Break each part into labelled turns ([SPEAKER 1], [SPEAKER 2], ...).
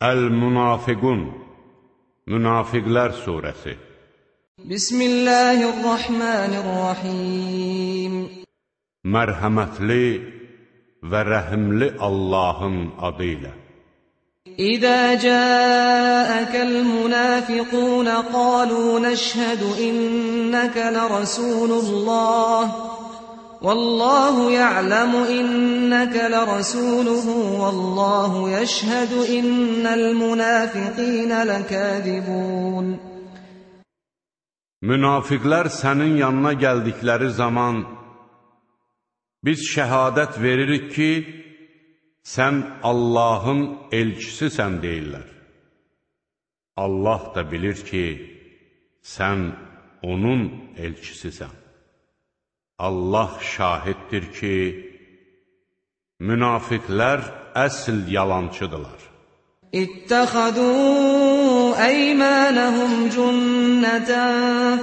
[SPEAKER 1] Əl-Münafiqun, Münafiqlər surəsi.
[SPEAKER 2] Bismillahirrahmanirrahim.
[SPEAKER 1] Mərhəmətli və rəhimli Allahın adı ilə.
[SPEAKER 2] İzə cəəkəl münafiqun qalu nəşhədu innəkə lərəsulullah والله يعلم إنك لرسوله والله يشهد إن المنافقين لكاذبون.
[SPEAKER 1] Münafiqlər sənin yanına gəldikləri zaman biz şəhadət veririk ki, sən Allahın elçisisən deyirlər. Allah da bilir ki, sən onun elçisisən. Allah şahiddir ki, münafiqlər əsl yalancıdırlar.
[SPEAKER 2] İttəxədu əymənəhum cünnətən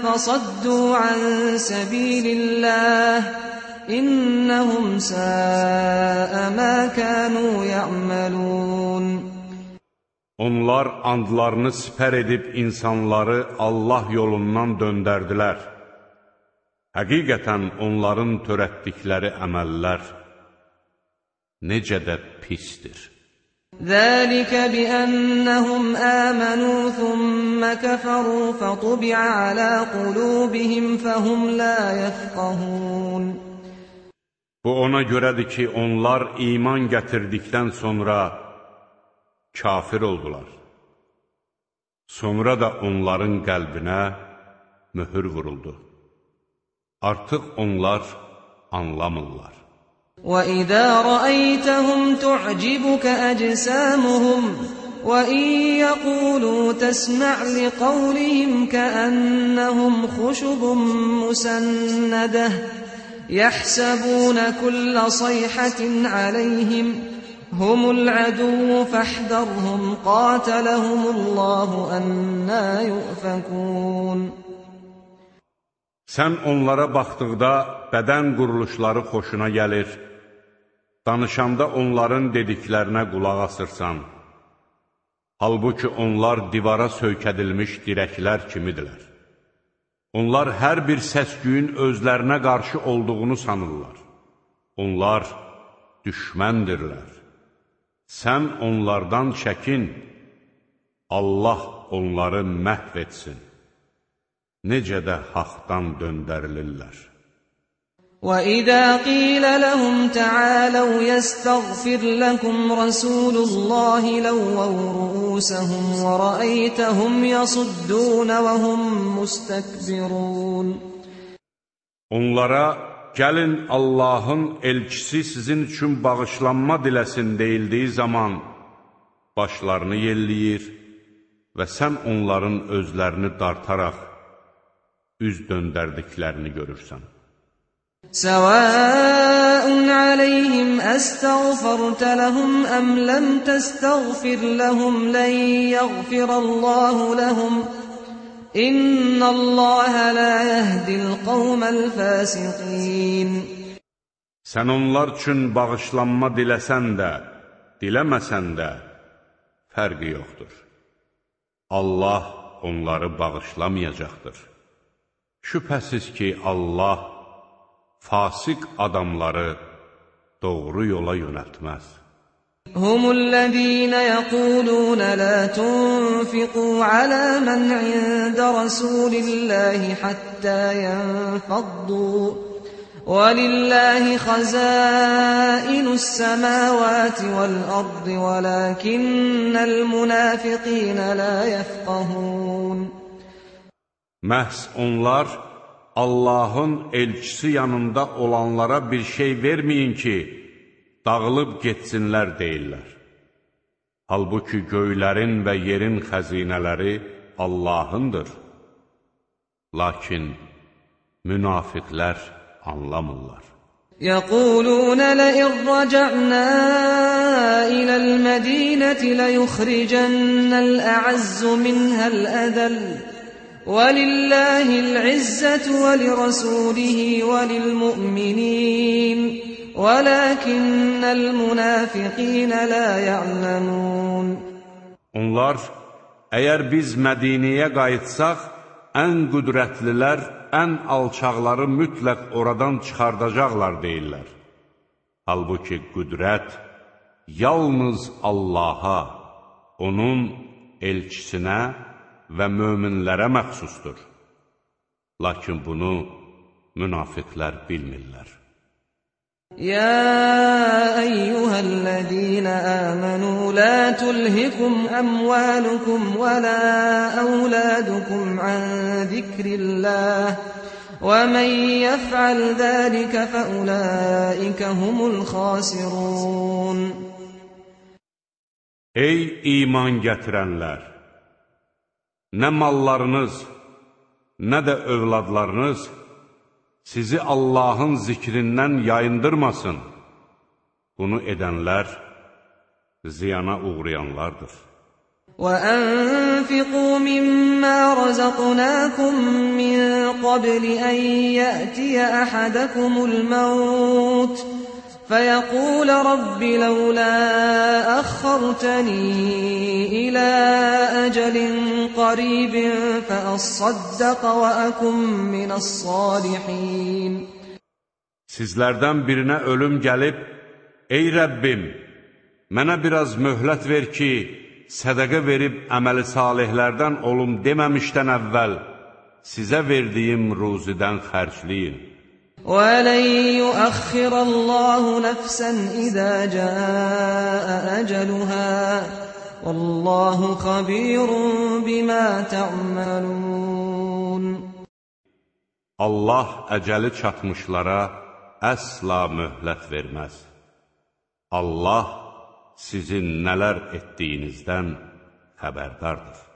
[SPEAKER 2] fəsaddu ən səbililləh İnnəhum səə mə kənu yə'məlun.
[SPEAKER 1] Onlar andlarını sipər edib insanları Allah yolundan döndərdilər. Həqiqətən onların törətdikləri əməllər necə də pisdir.
[SPEAKER 2] Zəlikə biənnəhum əmənu thumma kəfəru fətubi'a alə qulubihim fəhum la yəfqəhun.
[SPEAKER 1] Bu ona görədir ki, onlar iman gətirdikdən sonra kafir oldular. Sonra da onların qəlbinə möhür vuruldu. Artıq onlar anlamırlar.
[SPEAKER 2] وَإِذَا رَأَيْتَهُمْ تُعْجِبُكَ أَجْسَامُهُمْ وَإِنْ يَقُولُوا تَسْمَعْ لِقَوْلِهِمْ كَأَنَّهُمْ خُشُبٌ مُّسَنَّدَةٌ يَحْسَبُونَ كُلَّ صَيْحَةٍ عَلَيْهِمْ هُمُ الْعَدُوُّ فَاحْذَرْهُمْ قَاتَلَهُمُ اللَّهُ أَنَّىٰ يُؤْفَكُونَ.
[SPEAKER 1] Sən onlara baxdıqda bədən quruluşları xoşuna gəlir, danışanda onların dediklərinə qulaq asırsan. Halbuki onlar divara söykədilmiş dirəklər kimidirlər. Onlar hər bir səs-küyün özlərinə qarşı olduğunu sanırlar. Onlar düşməndirlər. Sən onlardan çəkin, Allah onları məhv etsin. Necə də haqdan döndərilirlər.
[SPEAKER 2] وَإِذَا قِيلَ لَهُمْ تَعَالَوْا يَسْتَغْفِرْ لَكُمْ رَسُولُ اللَّهِ لَوَّوْا رُءُوسَهُمْ وَرَأَيْتَهُمْ يَصُدُّونَ وَهُمْ مُسْتَكْبِرُونَ.
[SPEAKER 1] Onlara, gəlin Allahın elçisi sizin üçün bağışlanma diləsin deyildiyi zaman başlarını yelləyir və sən onların özlərini dartaraq üz döndərdiklərini görürsən.
[SPEAKER 2] Səvəun aleyhim əstəğfərtə ləhum əm ləm təstəğfir ləhum lən yəğfirəllahu ləhum İnnəlləhə lə yəhdil qavməl fəsiqin.
[SPEAKER 1] Sən onlar üçün bağışlanma diləsən də, diləməsən də fərqi yoxdur. Allah onları bağışlamayacaqdır. Şübhəsiz ki, Allah fasik adamları doğru yola yönəltməz.
[SPEAKER 2] Humullezîne yəqulûne lâ tunfiqû alâ men ində rasûlillâhi hattâ yenfaddû وَلِلَّهِ خَزَائِنُ السَّمَاوَاتِ وَالْأَرْضِ وَلَكِنَّ الْمُنَافِقِينَ لَا يَفْقَهُونَ.
[SPEAKER 1] Məhz onlar Allahın elçisi yanında olanlara bir şey verməyin ki, dağılıb getsinlər deyirlər. Halbuki göylərin və yerin xəzinələri Allahındır. Lakin münafiqlər anlamırlar.
[SPEAKER 2] يَقُولُونَ لَئِنْ رَجَعْنَا إِلَى الْمَدِينَةِ لَيُخْرِجَنَّ الْأَعَزُّ مِنْهَا الْأَذَلَّ وَلِلَّهِ الْعِزَّةُ وَلِرَسُولِهِ وَلِلْمُؤْمِنِينَ وَلَكِنَّ الْمُنَافِقِينَ لَا يَعْلَمُونَ.
[SPEAKER 1] Onlar, əgər biz Mədiniyə qayıtsaq, ən qüdrətlilər, ən alçaqları mütləq oradan çıxardacaqlar deyirlər. Halbuki qüdrət yalnız Allaha, onun elçisinə və möminlərə məxsusdur. Lakin bunu münafiqlər bilmirlər.
[SPEAKER 2] يا أيها الذين آمنوا لا تلهكم أموالكم ولا أولادكم عن ذكر الله ومن يفعل ذلك فأولئك هم الخاسرون.
[SPEAKER 1] Ey iman gətirənlər! Nə mallarınız, nə də övladlarınız sizi Allahın zikrindən yayındırmasın. Bunu edənlər ziyana uğrayanlardır.
[SPEAKER 2] وَأَنفِقُوا مِمَّا رَزَقْنَاكُم مِّن قَبْلِ أَن يَأْتِيَ أَحَدَكُمُ الْمَوْتُ فَيَقُولَ رَبِّ لَوْلَا أَخَّرْتَنِي إِلَىٰ أَجَلٍ قَرِيبٍ فَأَصَّدَّقَ وَأَكُن مِّنَ الصَّالِحِينَ.
[SPEAKER 1] Sizlərdən birinə ölüm gəlib, ey Rəbbim, mənə biraz möhlət ver ki, sədəqə verib əməli salihlərdən olum deməmişdən əvvəl sizə verdiyim ruzidən xərcləyin.
[SPEAKER 2] وَلَن يُؤَخِّرَ اللَّهُ نَفْسًا إِذَا جَاءَ أَجَلُهَا وَاللَّهُ خَبِيرٌ بِمَا تَعْمَلُونَ.
[SPEAKER 1] Allah əcəli çatmışlara əsla möhlət verməz. Allah sizin nələr etdiyinizdən xəbərdardır.